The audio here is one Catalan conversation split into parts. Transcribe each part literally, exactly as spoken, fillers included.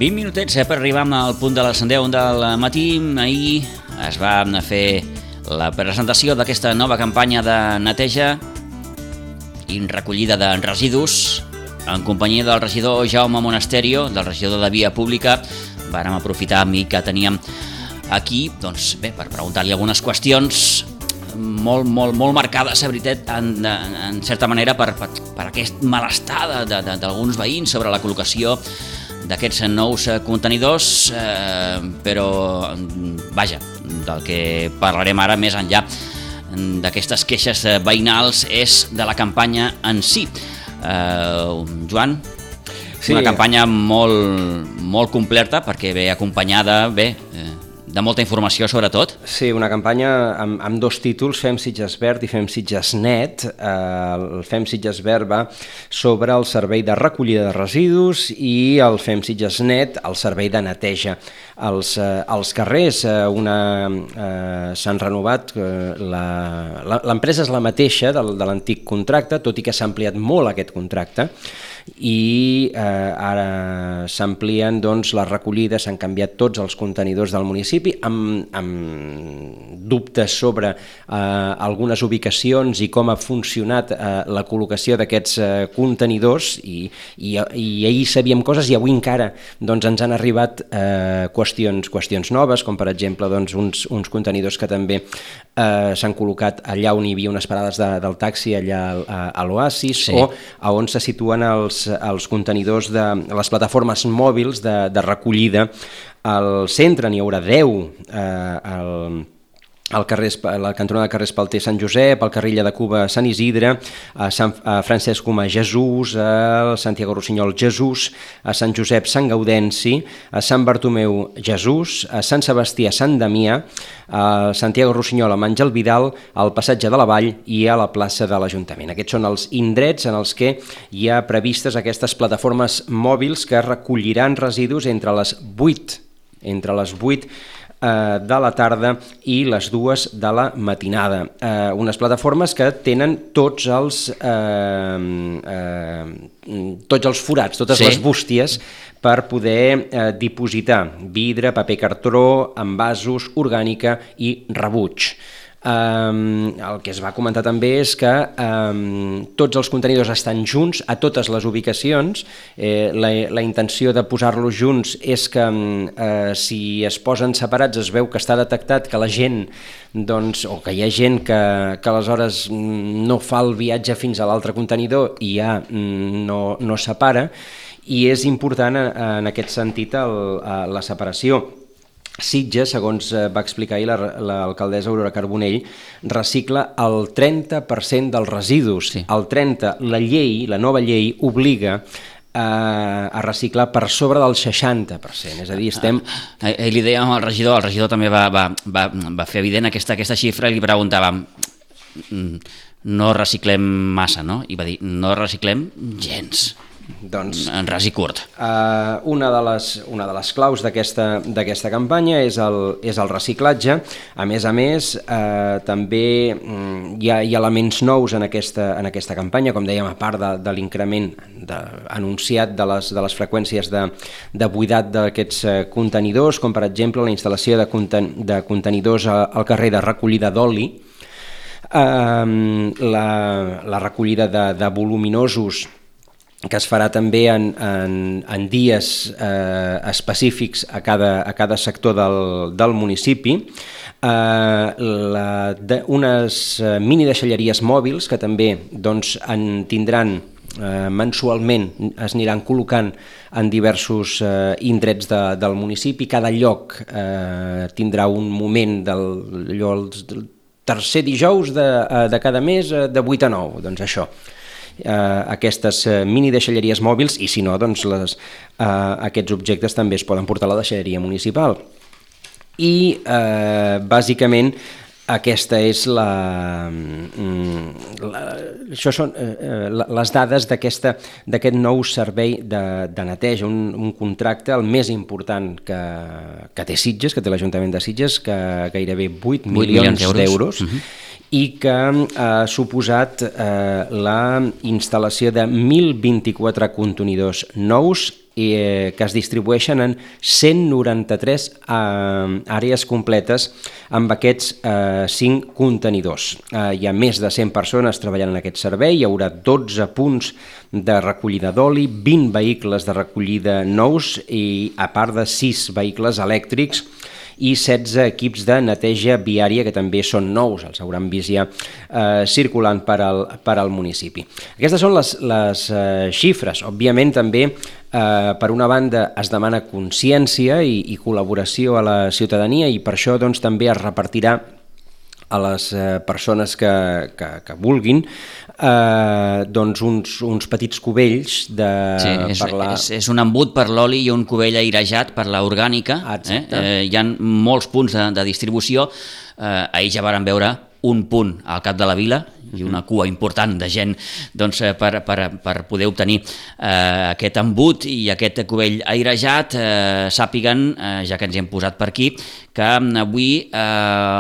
vint minutets eh, per arribar al punt de les deu del matí. Ahir es va fer la presentació d'aquesta nova campanya de neteja i recollida de residus en companyia del regidor Jaume Monasterio, del regidor de Via Pública. Vàrem aprofitar a mi que teníem aquí, doncs bé, per preguntar-li algunes qüestions molt, molt, molt marcades, la veritat, en, en certa manera, per, per, per aquest malestar d'alguns veïns sobre la col·locació d'aquests nous contenidors, eh, però, vaja, del que parlarem ara més enllà d'aquestes queixes veïnals és de la campanya en si. Eh, Joan, sí. Una campanya molt, molt completa perquè ve acompanyada, bé, eh, de molta informació, sobretot. Sí, una campanya amb, amb dos títols, Fem Sitges Verd i Fem Sitges Net. Eh, el Fem Sitges Verd va sobre el servei de recollida de residus i el Fem Sitges Net, el servei de neteja als, eh, als carrers. Eh, una eh, s'han renovat, eh, l'empresa és la mateixa de, de l'antic contracte, tot i que s'ha ampliat molt aquest contracte, i eh, ara s'amplien doncs, les recollides, s'han canviat tots els contenidors del municipi amb, amb dubtes sobre eh, algunes ubicacions i com ha funcionat eh, la col·locació d'aquests eh, contenidors i, i, i ahir sabíem coses i avui encara doncs, ens han arribat eh, qüestions, qüestions noves, com per exemple doncs, uns, uns contenidors que també eh, s'han col·locat allà on hi havia unes parades de, del taxi, allà a, a l'Oasis, sí. O a on se situen els els contenidors de les plataformes mòbils de, de recollida. Al centre n'hi haurà deu, eh, al, al carrer, a la cantonada de carrer Espalter Sant Josep, al carrer Illa de Cuba Sant Isidre, a Sant a Francesc Comà Jesús, a Santiago Rossinyol Jesús, a Sant Josep Sant Gaudenci, a Sant Bartomeu Jesús, a Sant Sebastià Sant Damià, a Santiago Rossinyol amb Àngel Vidal, al passatge de la Vall i a la plaça de l'Ajuntament. Aquests són els indrets en els que hi ha previstes aquestes plataformes mòbils que recolliran residus entre les vuit, entre les vuit de la tarda i les dues de la matinada. Eh, unes plataformes que tenen tots els, eh, eh, tots els forats, totes sí. Les bústies per poder eh, dipositar vidre, paper cartró, envasos, orgànica i rebuig. Um, el que es va comentar també és que um, tots els contenidors estan junts a totes les ubicacions. eh, la, la intenció de posar-los junts és que uh, si es posen separats es veu que està detectat que la gent doncs, o que hi ha gent que, que aleshores no fa el viatge fins a l'altre contenidor i ja no, no separa, i és important en aquest sentit el, la separació. Sitges, segons va explicar ahir l'alcaldessa Aurora Carbonell, recicla el trenta per cent dels residus. Sí. El trenta per cent, la llei, la nova llei, obliga a, a reciclar per sobre del seixanta per cent. És a dir, estem... Ah, ah, li dèiem al regidor, el regidor també va, va, va, va fer evident aquesta, aquesta xifra i li preguntàvem no reciclem massa, no? I va dir, no reciclem gens. Doncs, en ras i curt. Uh, una, de les, una de les claus d'aquesta campanya és el, és el reciclatge. A més a més, uh, també um, hi, ha, hi ha elements nous en aquesta, en aquesta campanya, com dèiem, a part de, de l'increment de, anunciat de les, de les freqüències de, de buidat d'aquests uh, contenidors, com per exemple la instal·lació de, conten, de contenidors a, al carrer de recollida d'oli, uh, la, la recollida de, de voluminosos que es farà també en, en, en dies eh, específics a cada, a cada sector del, del municipi, eh, la, de, unes eh, mini deixalleries mòbils que també doncs, en tindran eh, mensualment, es aniran col·locant en diversos eh, indrets de, del municipi. Cada lloc eh, tindrà un moment del, allò, el tercer dijous de, de cada mes de vuit a nou, doncs això. Uh, aquestes uh, mini deixalleries mòbils i si no, doncs les, uh, aquests objectes també es poden portar a la deixalleria municipal. I uh, bàsicament aquesta és la, la això són uh, les dades d'aquest nou servei de, de neteja, un, un contracte el més important que, que té Sitges, que té l'Ajuntament de Sitges, que gairebé vuit milions d'euros, uh-huh. i que ha suposat eh, la instal·lació de mil vint-i-quatre contenidors nous eh, que es distribueixen en cent noranta-tres eh, àrees completes amb aquests eh, cinc contenidors. Eh, hi ha més de cent persones treballant en aquest servei, hi haurà dotze punts de recollida d'oli, vint vehicles de recollida nous i a part de sis vehicles elèctrics i setze equips de neteja viària que també són nous, els hauran vist ja eh, circulant per al, per al municipi. Aquestes són les, les eh, xifres. Òbviament també eh, per una banda es demana consciència i, i col·laboració a la ciutadania i per això doncs, també es repartirà a les eh, persones que, que, que vulguin eh, doncs uns, uns petits cubells de, sí, és, per la... és, és un embut per l'oli i un cubell airejat per l'orgànica. Eh? Eh, hi ha molts punts de, de distribució. Eh, ahir ja varen veure un punt al cap de la vila i una cua important de gent doncs, per, per, per poder obtenir eh, aquest embut i aquest cubell airejat. Eh, sàpiguen, eh, ja que ens hi hem posat per aquí, que avui eh,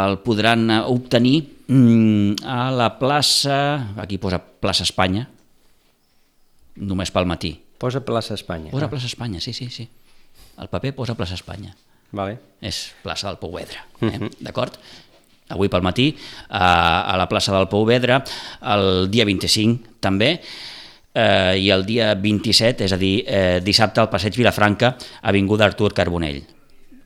el podran obtenir mm, a la plaça, aquí posa plaça Espanya, només pel matí. Posa plaça Espanya. Posa plaça Espanya, sí, sí, sí. El paper posa plaça Espanya. Vale. És plaça del Pouvedre, eh? Uh-huh. D'acord? Avui pel matí, a la plaça del Pouvedre, el dia vint-i-cinc també, eh, i el dia vint-i-set, és a dir, eh, dissabte al Passeig Vilafranca, avinguda Artur Carbonell.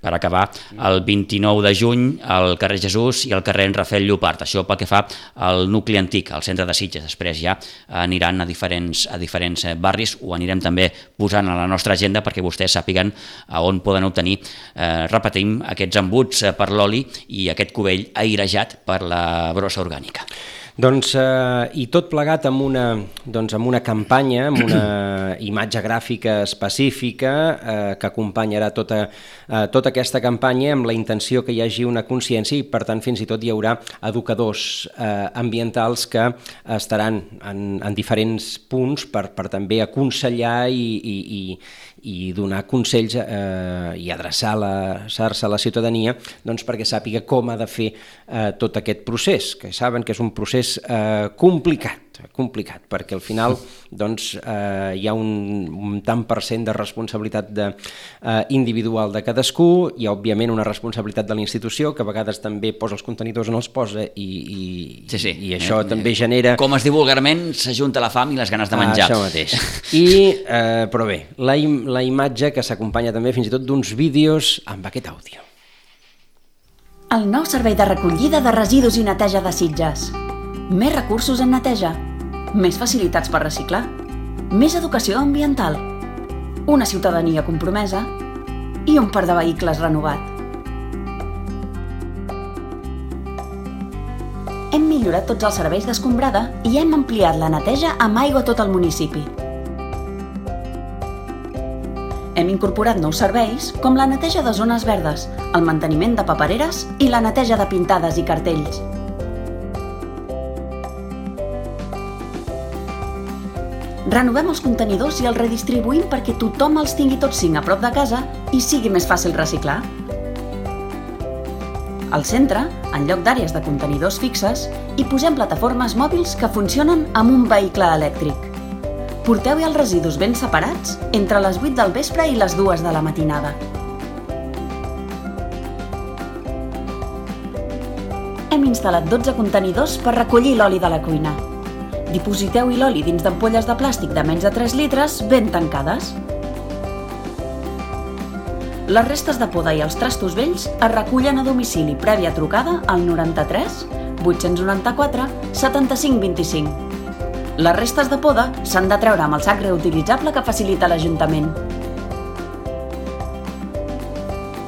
Per acabar, el vint-i-nou de juny al carrer Jesús i al carrer Rafael Llopart. Això pel que fa al nucli antic, al centre de Sitges. Després ja aniran a diferents, a diferents barris, ho anirem també posant a la nostra agenda perquè vostès sàpiguen a on poden obtenir, eh, repetim, aquests embuts per l'oli i aquest cubell airejat per la brossa orgànica. Doncs, eh, i tot plegat amb una, doncs, amb una campanya, amb una imatge gràfica específica eh, que acompanyarà tota, eh, tota aquesta campanya amb la intenció que hi hagi una consciència i, per tant, fins i tot hi haurà educadors eh, ambientals que estaran en, en diferents punts per, per també aconsellar i, i, i, i donar consells eh, i adreçar-se a la ciutadania doncs, perquè sàpiga com ha de fer eh, tot aquest procés, que saben que és un procés Eh, complicat, complicat, perquè al final doncs, eh, hi ha un, un tant per cent de responsabilitat de, eh, individual de cadascú, hi ha òbviament una responsabilitat de la institució que a vegades també posa els contenidors on els posa i, i, sí, sí. i això eh, també eh, genera... Com es diu vulgarment, s'ajunta la fam i les ganes de menjar. Ah, això mateix. I, eh, però bé, la, im la imatge que s'acompanya també fins i tot d'uns vídeos amb aquest àudio. El nou servei de recollida de residus i neteja de Sitges. Més recursos en neteja, més facilitats per reciclar, més educació ambiental, una ciutadania compromesa i un parc de vehicles renovat. Hem millorat tots els serveis d'escombrada i hem ampliat la neteja amb aigua a tot el municipi. Hem incorporat nous serveis com la neteja de zones verdes, el manteniment de papereres i la neteja de pintades i cartells. Renovem els contenidors i els redistribuïm perquè tothom els tingui tots cinc a prop de casa i sigui més fàcil reciclar. Al centre, en lloc d'àrees de contenidors fixes, hi posem plataformes mòbils que funcionen amb un vehicle elèctric. Porteu-hi els residus ben separats entre les vuit del vespre i les dues de la matinada. Hem instal·lat dotze contenidors per recollir l'oli de la cuina. Dipositeu-hi l'oli dins d'ampolles de plàstic de menys de tres litres ben tancades. Les restes de poda i els trastos vells es recullen a domicili prèvia trucada al noranta-tres vuit-cents noranta-quatre setanta-cinc vint-i-cinc. Les restes de poda s'han de treure amb el sac reutilitzable que facilita l'Ajuntament.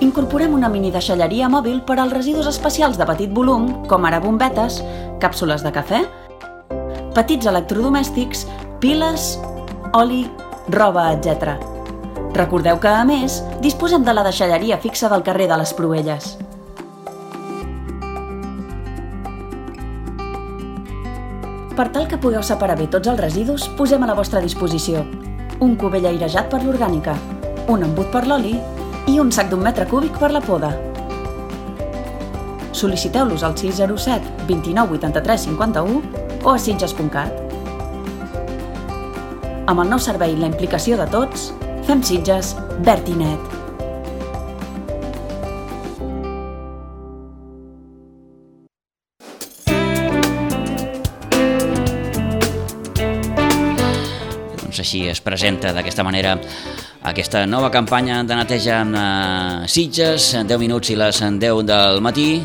Incorporem una mini deixalleria mòbil per als residus especials de petit volum, com ara bombetes, càpsules de cafè, petits electrodomèstics, piles, oli, roba, etcètera. Recordeu que, a més, disposem de la deixalleria fixa del carrer de les Proelles. Per tal que pugueu separar bé tots els residus, posem a la vostra disposició un cubell airejat per l'orgànica, un embut per l'oli i un sac d'un metre cúbic per la poda. Sol·liciteu-los al sis zero set vint-i-nou vuitanta-tres cinquanta-u o a sitges punt cat. Amb el nou servei i la implicació de tots, Fem Sitges, verd i net. Doncs així es presenta d'aquesta manera aquesta nova campanya de neteja a Sitges, en deu minuts i les deu del matí,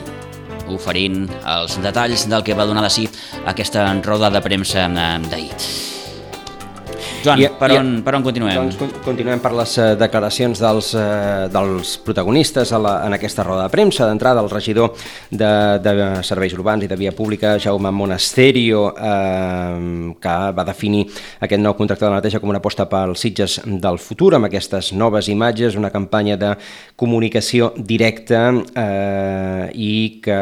oferint els detalls del que va donar de si aquesta roda de premsa d'ahir. Joan, I, per, on, per on continuem? Doncs continuem per les uh, declaracions dels, uh, dels protagonistes a la, en aquesta roda de premsa. D'entrada, el regidor de, de Serveis Urbans i de Via Pública, Jaume Monasterio, eh, que va definir aquest nou contracte de neteja com una aposta pel Sitges del futur, amb aquestes noves imatges, una campanya de comunicació directa eh, i que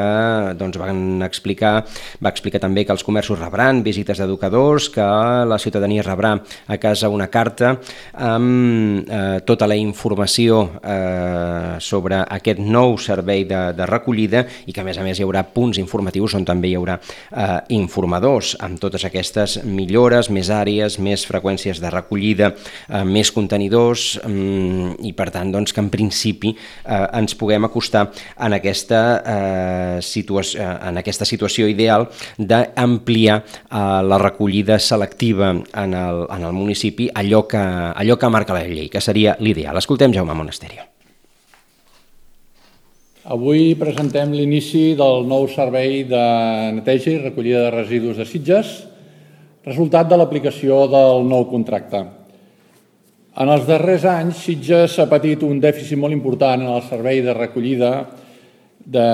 doncs, van explicar, va explicar també que els comerços rebran visites d'educadors, que la ciutadania rebrà a casa una carta amb eh, tota la informació eh, sobre aquest nou servei de, de recollida i que a més a més hi haurà punts informatius on també hi haurà eh, informadors amb totes aquestes millores, més àrees, més freqüències de recollida, eh, més contenidors eh, i per tant doncs, que en principi eh, ens puguem acostar en aquesta, eh, situació, en aquesta situació ideal d'ampliar eh, la recollida selectiva en el, en el municipi, allò que, allò que marca la llei, que seria l'ideal. Escoltem Jaume Monasterio. Avui presentem l'inici del nou servei de neteja i recollida de residus de Sitges, resultat de l'aplicació del nou contracte. En els darrers anys, Sitges ha patit un dèficit molt important en el servei de recollida de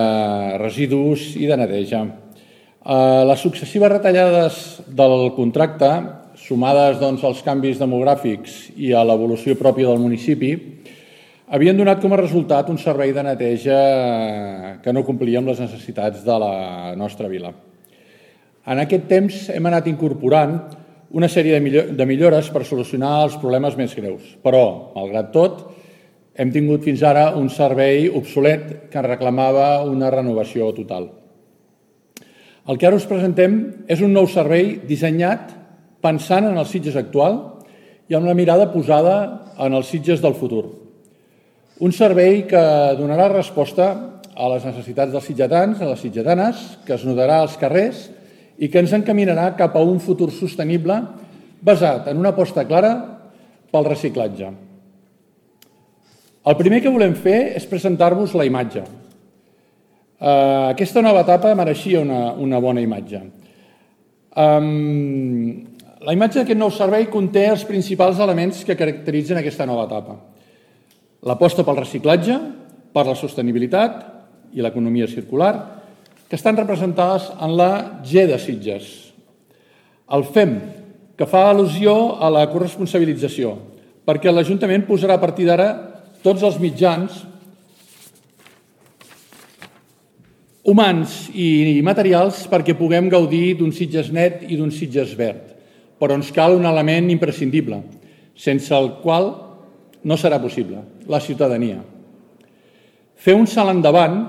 residus i de neteja. Les successives retallades del contracte, sumades doncs, als canvis demogràfics i a l'evolució pròpia del municipi, havien donat com a resultat un servei de neteja que no complia amb les necessitats de la nostra vila. En aquest temps hem anat incorporant una sèrie de millores per solucionar els problemes més greus, però, malgrat tot, hem tingut fins ara un servei obsolet que reclamava una renovació total. El que ara us presentem és un nou servei dissenyat pensant en el Sitges actual i amb la mirada posada en els Sitges del futur. Un servei que donarà resposta a les necessitats dels sitgetans, a les sitgetanes, que es notarà als carrers i que ens encaminarà cap a un futur sostenible basat en una aposta clara pel reciclatge. El primer que volem fer és presentar-vos la imatge. Aquesta nova etapa mereixia una, una bona imatge. Um, La imatge d'aquest nou servei conté els principals elements que caracteritzen aquesta nova etapa. L'aposta pel reciclatge, per la sostenibilitat i l'economia circular, que estan representades en la G de Sitges. El F E M, que fa al·lusió a la corresponsabilització, perquè l'Ajuntament posarà a partir d'ara tots els mitjans humans i materials perquè puguem gaudir d'un Sitges net i d'un Sitges verd. Però ens cal un element imprescindible, sense el qual no serà possible, la ciutadania. Fer un salt endavant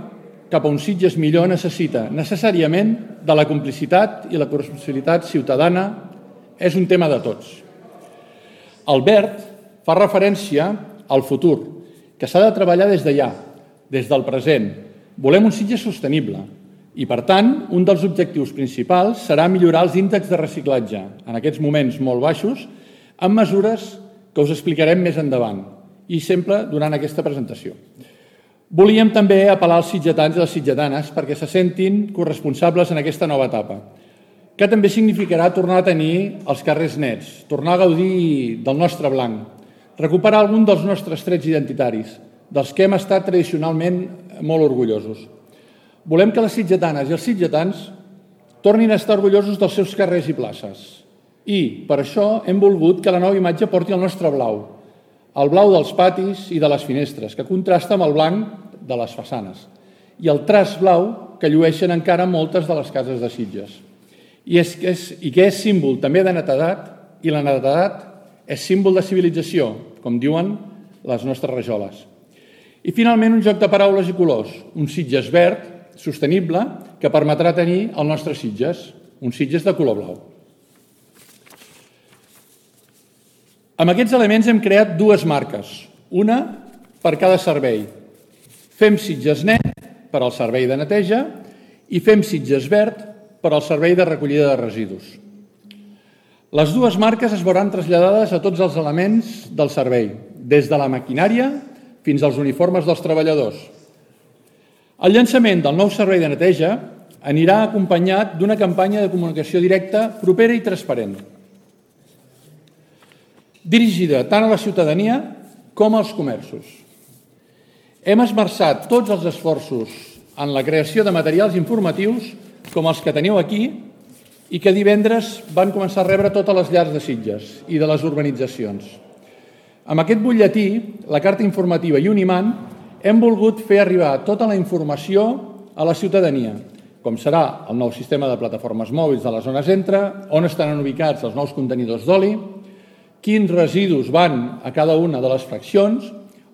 cap a un Sitges millor necessita necessàriament de la complicitat i la corresponsabilitat ciutadana, és un tema de tots. El verd fa referència al futur, que s'ha de treballar des d'allà, des del present. Volem un Sitges sostenible, i, per tant, un dels objectius principals serà millorar els índexs de reciclatge, en aquests moments molt baixos, amb mesures que us explicarem més endavant, i sempre durant aquesta presentació. Volíem també apel·lar als sitgetans i les sitgetanes perquè se sentin corresponsables en aquesta nova etapa, que també significarà tornar a tenir els carrers nets, tornar a gaudir del nostre blanc, recuperar algun dels nostres trets identitaris, dels que hem estat tradicionalment molt orgullosos. Volem que les sitgetanes i els sitgetans tornin a estar orgullosos dels seus carrers i places. I, per això, hem volgut que la nova imatge porti el nostre blau, el blau dels patis i de les finestres, que contrasta amb el blanc de les façanes, i el traç blau que llueixen encara moltes de les cases de Sitges. I, és, és, i que és símbol també de netedat, i la netedat és símbol de civilització, com diuen les nostres rajoles. I, finalment, un joc de paraules i colors, un Sitges verd, sostenible, que permetrà tenir el nostre Sitges, un Sitges de color blau. Amb aquests elements hem creat dues marques, una per cada servei. Fem Sitges Net per al servei de neteja i Fem Sitges Verd per al servei de recollida de residus. Les dues marques es veuran traslladades a tots els elements del servei, des de la maquinària fins als uniformes dels treballadors. El llançament del nou servei de neteja anirà acompanyat d'una campanya de comunicació directa propera i transparent, dirigida tant a la ciutadania com als comerços. Hem esmerçat tots els esforços en la creació de materials informatius com els que teniu aquí i que divendres van començar a rebre totes les llars de Sitges i de les urbanitzacions. Amb aquest butlletí, la carta informativa i un imant, hem volgut fer arribar tota la informació a la ciutadania, com serà el nou sistema de plataformes mòbils de la zona centre, on estaran ubicats els nous contenidors d'oli, quins residus van a cada una de les fraccions,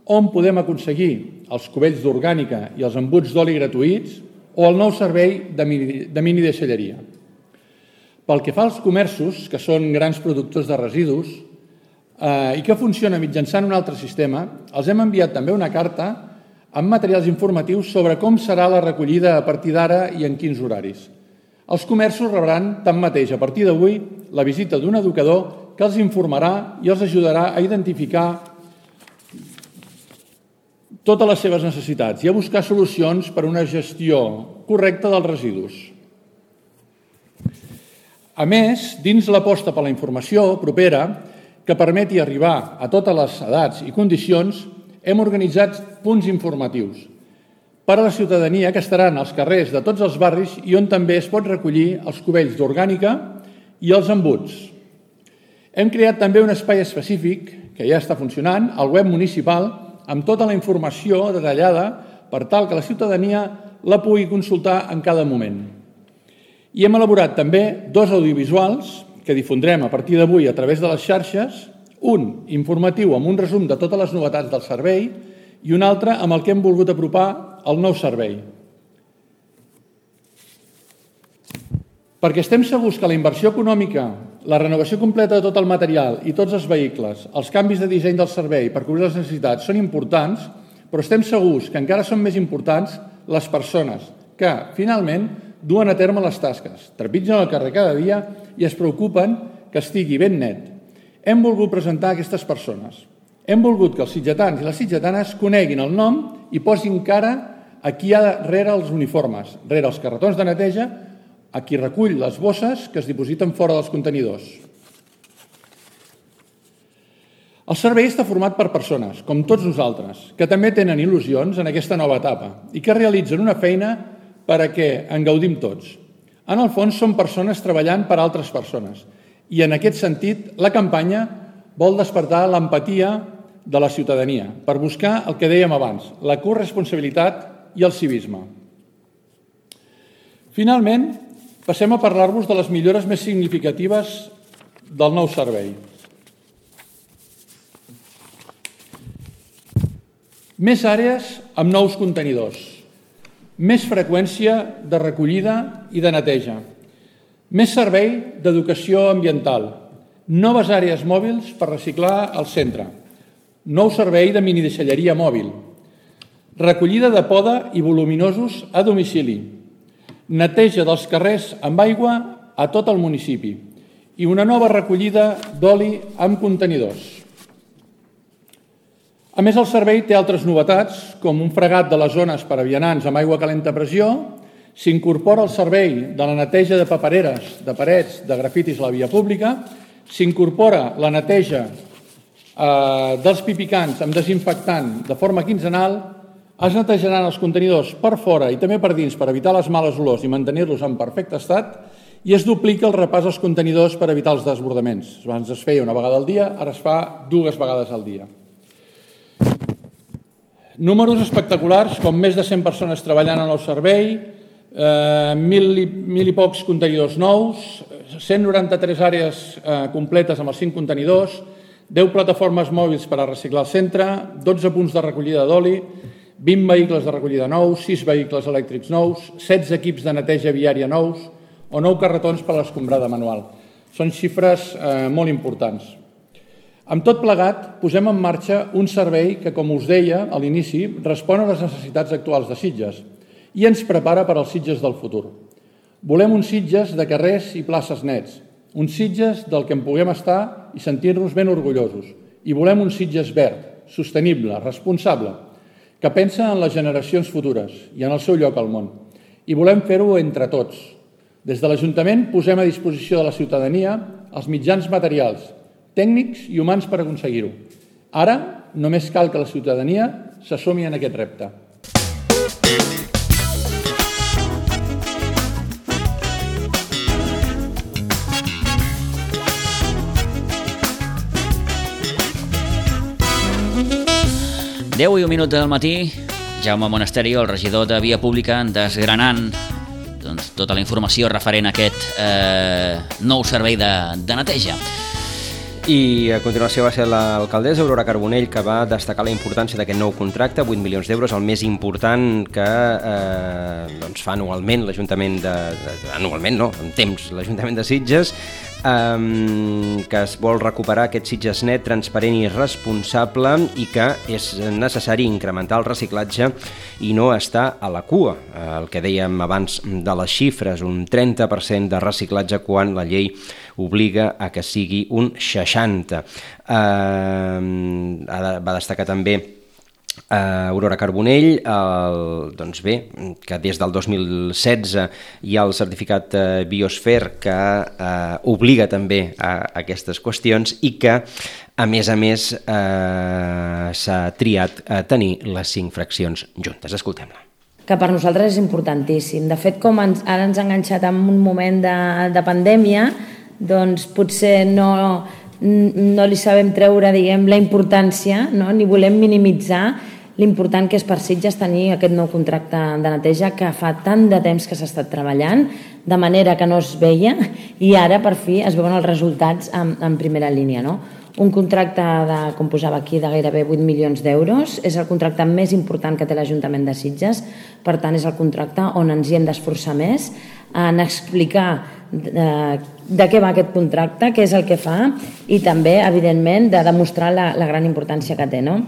on podem aconseguir els cubells d'orgànica i els embuts d'oli gratuïts o el nou servei de mini, de mini deixalleria. Pel que fa als comerços, que són grans productors de residus eh, i que funciona mitjançant un altre sistema, els hem enviat també una carta amb materials informatius sobre com serà la recollida a partir d'ara i en quins horaris. Els comerços rebran tanmateix a partir d'avui la visita d'un educador que els informarà i els ajudarà a identificar totes les seves necessitats i a buscar solucions per a una gestió correcta dels residus. A més, dins l'aposta per la informació propera que permeti arribar a totes les edats i condicions, hem organitzat punts informatius per a la ciutadania que estaran als carrers de tots els barris i on també es pot recollir els cubells d'orgànica i els embuts. Hem creat també un espai específic, que ja està funcionant, al web municipal, amb tota la informació detallada per tal que la ciutadania la pugui consultar en cada moment. I hem elaborat també dos audiovisuals que difondrem a partir d'avui a través de les xarxes, un informatiu amb un resum de totes les novetats del servei i un altre amb el que hem volgut apropar el nou servei. Perquè estem segurs que la inversió econòmica, la renovació completa de tot el material i tots els vehicles, els canvis de disseny del servei per cobrir les necessitats són importants, però estem segurs que encara són més importants les persones que, finalment, duen a terme les tasques, trepitgen el carrer cada dia i es preocupen que estigui ben net. Hem volgut presentar aquestes persones. Hem volgut que els sitgetans i les sitgetanes coneguin el nom i posin cara a qui hi ha rere els uniformes, rere els carretons de neteja, a qui recull les bosses que es dipositen fora dels contenidors. El servei està format per persones, com tots nosaltres, que també tenen il·lusions en aquesta nova etapa i que realitzen una feina per a què en gaudim tots. En el fons, són persones treballant per a altres persones i, en aquest sentit, la campanya vol despertar l'empatia de la ciutadania per buscar el que dèiem abans, la corresponsabilitat i el civisme. Finalment, passem a parlar-vos de les millores més significatives del nou servei. Més àrees amb nous contenidors, més freqüència de recollida i de neteja, més servei d'educació ambiental, noves àrees mòbils per reciclar al centre, nou servei de minideixalleria mòbil, recollida de poda i voluminosos a domicili, neteja dels carrers amb aigua a tot el municipi i una nova recollida d'oli amb contenidors. A més, el servei té altres novetats, com un fregat de les zones per a vianants amb aigua calenta a pressió, s'incorpora el servei de la neteja de papereres, de parets, de grafitis a la via pública, s'incorpora la neteja eh, dels pipicants amb desinfectant de forma quinzenal, es netejaran els contenidors per fora i també per dins per evitar les males olors i mantenir-los en perfecte estat i es duplica el repàs als contenidors per evitar els desbordaments. Abans es feia una vegada al dia, ara es fa dues vegades al dia. Números espectaculars, com més de cent persones treballant en el servei, eh, mil, i, mil i pocs contenidors nous, cent noranta-tres àrees eh, completes amb els cinc contenidors, deu plataformes mòbils per a reciclar al centre, dotze punts de recollida d'oli, vint vehicles de recollida nous, sis vehicles elèctrics nous, setze equips de neteja viària nous o nou carretons per a l'escombrada manual. Són xifres eh, molt importants. Amb tot plegat, posem en marxa un servei que, com us deia a l'inici, respon a les necessitats actuals de Sitges i ens prepara per als Sitges del futur. Volem uns Sitges de carrers i places nets, uns Sitges del que en puguem estar i sentir-nos ben orgullosos. I volem un Sitges verd, sostenible, responsable, que pensa en les generacions futures i en el seu lloc al món. I volem fer-ho entre tots. Des de l'Ajuntament posem a disposició de la ciutadania els mitjans materials, tècnics i humans per aconseguir-ho. Ara només cal que la ciutadania s'assumi en aquest repte. deu i un minut del matí, Jaume Monasterio, el regidor de Via Pública, desgranant doncs, tota la informació referent a aquest eh, nou servei de, de neteja. I a continuació va ser l'alcaldessa Aurora Carbonell que va destacar la importància d'aquest nou contracte, vuit milions d'euros, el més important que eh, doncs fa anualment l'Ajuntament de, de... anualment no, en temps, l'Ajuntament de Sitges, eh, que es vol recuperar aquest Sitges net, transparent i responsable i que és necessari incrementar el reciclatge i no estar a la cua. El que dèiem abans de les xifres, un trenta per cent de reciclatge quan la llei obliga a que sigui un seixanta per cent. Eh, va destacar també Uh, Aurora Carbonell, el, doncs bé, que des del dos mil setze hi ha el certificat uh, Biosfer que uh, obliga també a, a aquestes qüestions i que, a més a més, uh, s'ha triat a tenir les cinc fraccions juntes. Escoltem-la. Que per nosaltres és importantíssim. De fet, com ens, ara ens ha enganxat en un moment de, de pandèmia, doncs potser no... no li sabem treure, diguem, la importància, no? Ni volem minimitzar l'important que és per Sitges tenir aquest nou contracte de neteja que fa tant de temps que s'ha estat treballant, de manera que no es veia, i ara per fi es veuen els resultats en, en primera línia, no? Un contracte, de, com posava aquí, de gairebé vuit milions d'euros, és el contracte més important que té l'Ajuntament de Sitges, per tant és el contracte on ens hi hem d'esforçar més en explicar de, de què va aquest contracte, què és el que fa i també, evidentment, de demostrar la, la gran importància que té, no?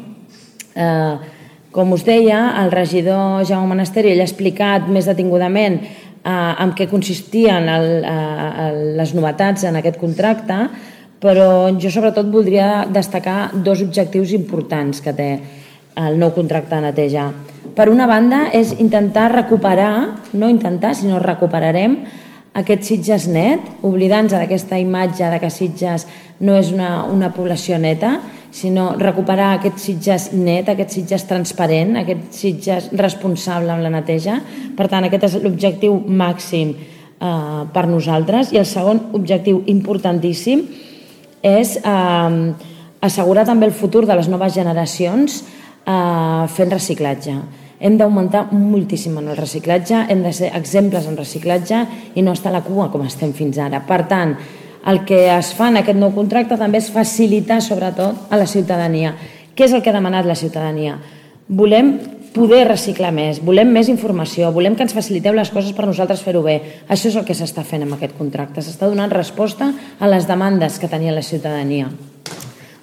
Eh, com us deia, el regidor Jaume Monasterio ell ha explicat més detingudament eh, en què consistien el, eh, les novetats en aquest contracte, però jo sobretot voldria destacar dos objectius importants que té el nou contracte de neteja. Per una banda, és intentar recuperar, no intentar, sinó recuperarem aquest Sitges net, oblidant-nos d'aquesta imatge de que Sitges no és una, una població neta, sinó recuperar aquest Sitges net, aquest Sitges transparent, aquest Sitges responsable amb la neteja. Per tant, aquest és l'objectiu màxim eh, per nosaltres. I el segon objectiu importantíssim és eh, assegurar també el futur de les noves generacions eh, fent reciclatge. Hem d'augmentar moltíssim en el reciclatge, hem de ser exemples en reciclatge i no estar a la cua com estem fins ara. Per tant, el que es fa en aquest nou contracte també és facilitar sobretot a la ciutadania. Què és el que ha demanat la ciutadania? Volem poder reciclar més, volem més informació, volem que ens faciliteu les coses per nosaltres fer-ho bé. Això és el que s'està fent amb aquest contracte. S'està donant resposta a les demandes que tenia la ciutadania.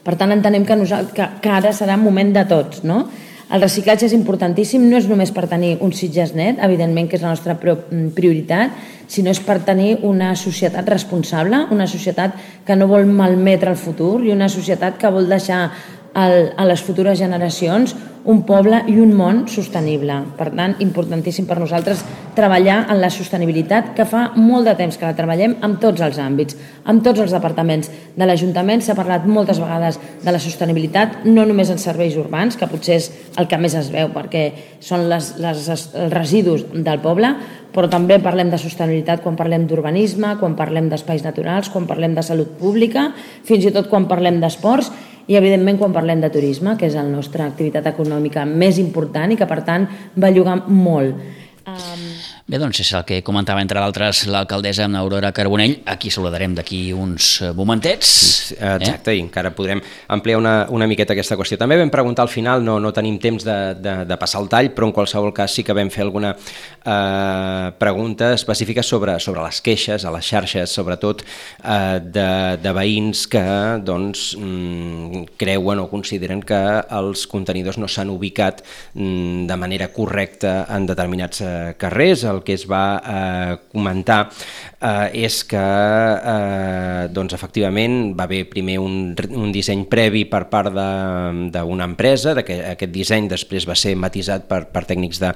Per tant, entenem que, nosaltres, que, que ara serà un moment de tots, no? El reciclatge és importantíssim, no és només per tenir un Sitges net, evidentment que és la nostra prioritat, sinó és per tenir una societat responsable, una societat que no vol malmetre el futur i una societat que vol deixar a les futures generacions un poble i un món sostenible. Per tant, importantíssim per nosaltres treballar en la sostenibilitat, que fa molt de temps que la treballem en tots els àmbits, en tots els departaments de l'Ajuntament. S'ha parlat moltes vegades de la sostenibilitat, no només en serveis urbans, que potser és el que més es veu perquè són les, les, els residus del poble, però també parlem de sostenibilitat quan parlem d'urbanisme, quan parlem d'espais naturals, quan parlem de salut pública, fins i tot quan parlem d'esports i, evidentment, quan parlem de turisme, que és la nostra activitat econòmica més important i que, per tant, belluga molt. Um... Bé, doncs és el que comentava, entre d'altres, l'alcaldessa Aurora Carbonell. Aquí saludarem d'aquí uns momentets. Exacte, eh? I encara podrem ampliar una, una miqueta aquesta qüestió. També vam preguntar al final, no, no tenim temps de, de, de passar el tall, però en qualsevol cas sí que vam fer alguna eh, pregunta específica sobre, sobre les queixes a les xarxes, sobretot eh, de, de veïns que doncs, mm, creuen o consideren que els contenidors no s'han ubicat mm, de manera correcta en determinats eh, carrers. El que es va eh, comentar eh, és que eh, doncs, efectivament va haver primer un, un disseny previ per part d'una empresa, de que aquest disseny després va ser matisat per, per tècnics de,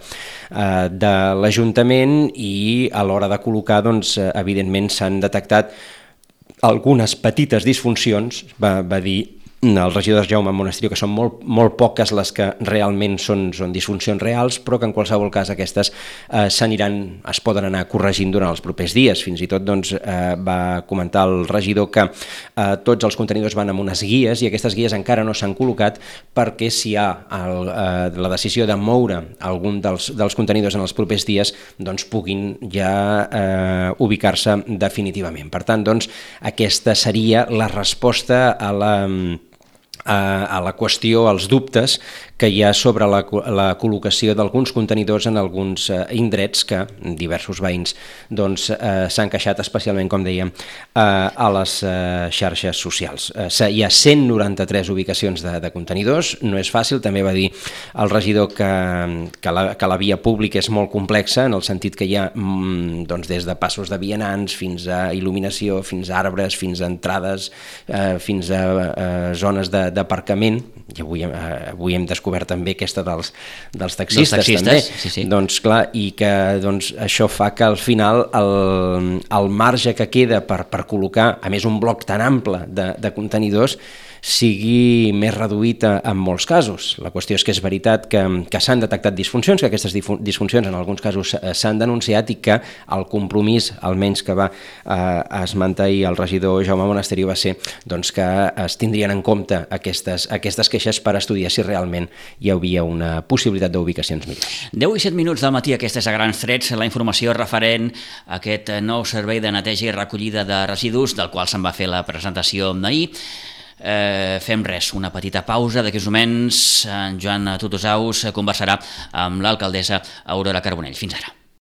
eh, de l'Ajuntament, i a l'hora de col·locar, doncs, evidentment s'han detectat algunes petites disfuncions, va, va dir el regidor Jaume Monasterio, que són molt, molt poques les que realment són, són disfuncions reals, però que en qualsevol cas aquestes eh, s'aniran, es poden anar corregint durant els propers dies. Fins i tot doncs, eh, va comentar el regidor que eh, tots els contenidors van amb unes guies, i aquestes guies encara no s'han col·locat, perquè si hi ha el, eh, la decisió de moure algun dels, dels contenidors en els propers dies, doncs puguin ja eh, ubicar-se definitivament. Per tant, doncs, aquesta seria la resposta a la a la qüestió, als dubtes que hi ha sobre la, la col·locació d'alguns contenidors en alguns eh, indrets que diversos veïns doncs, eh, s'han queixat, especialment, com dèiem, eh, a les eh, xarxes socials. Eh, hi ha cent noranta-tres ubicacions de, de contenidors, no és fàcil. També va dir el regidor que, que, la, que la via pública és molt complexa, en el sentit que hi ha mm, doncs, des de passos de vianants fins a il·luminació, fins a arbres, fins a entrades, eh, fins a eh, zones de d'aparcament, i avui, eh, avui hem descobert també aquesta dels, dels taxistes, dels taxistes també, sí, sí. Doncs clar, i que doncs, això fa que al final el, el marge que queda per, per col·locar, a més un bloc tan ample de, de contenidors, sigui més reduït en molts casos. La qüestió és que és veritat que, que s'han detectat disfuncions, que aquestes disfuncions en alguns casos s'han denunciat, i que el compromís, almenys que va eh, esmentar el regidor Jaume Monasterio, va ser doncs, que es tindrien en compte aquestes, aquestes queixes per estudiar si realment hi havia una possibilitat d'ubicacions millors. deu i set minuts del matí, aquesta és a grans trets la informació referent a aquest nou servei de neteja i recollida de residus, del qual se'n va fer la presentació d'ahir. Eh, fem res, una petita pausa. D'aquí uns moments en Joan Tutusaus conversarà amb l'alcaldessa Aurora Carbonell. Fins ara.